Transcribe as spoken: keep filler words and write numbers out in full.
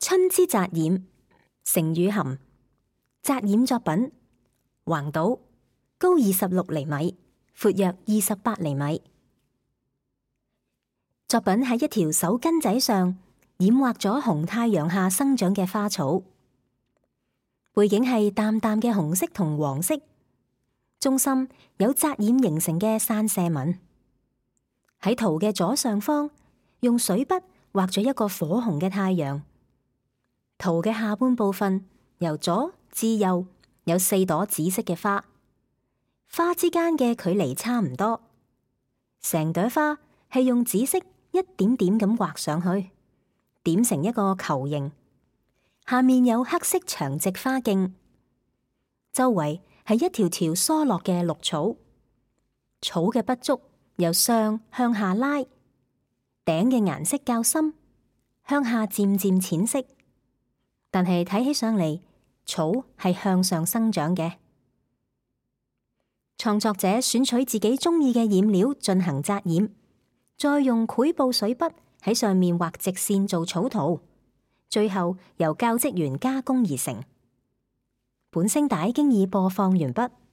春之紮染，成語含紮染作品，橫島，高二十六厘米，闊約二十八厘米。作品喺一條手巾仔上染畫咗紅太陽下生長嘅花草，背景係淡淡嘅紅色同黃色，中心有紮染形成嘅散射紋。喺圖嘅左上方，用水筆畫咗一個火紅嘅太陽。圖嘅下半部分由左至右有四朵紫色嘅花，花之間嘅距離差唔多。成朵花係用紫色一點點咁畫上去，點成一個球形。下面有黑色長直花徑，周圍係一條條疏落嘅綠草。草嘅筆觸由上向下拉，頂嘅顏色較深，向下漸漸淺色。但係睇起上嚟，草係向上生長嘅。創作者選取自己中意嘅染料進行紮染，再用繪布水筆喺上面畫直線做草圖，最後由教職員加工而成。本聲帶經已播放完畢。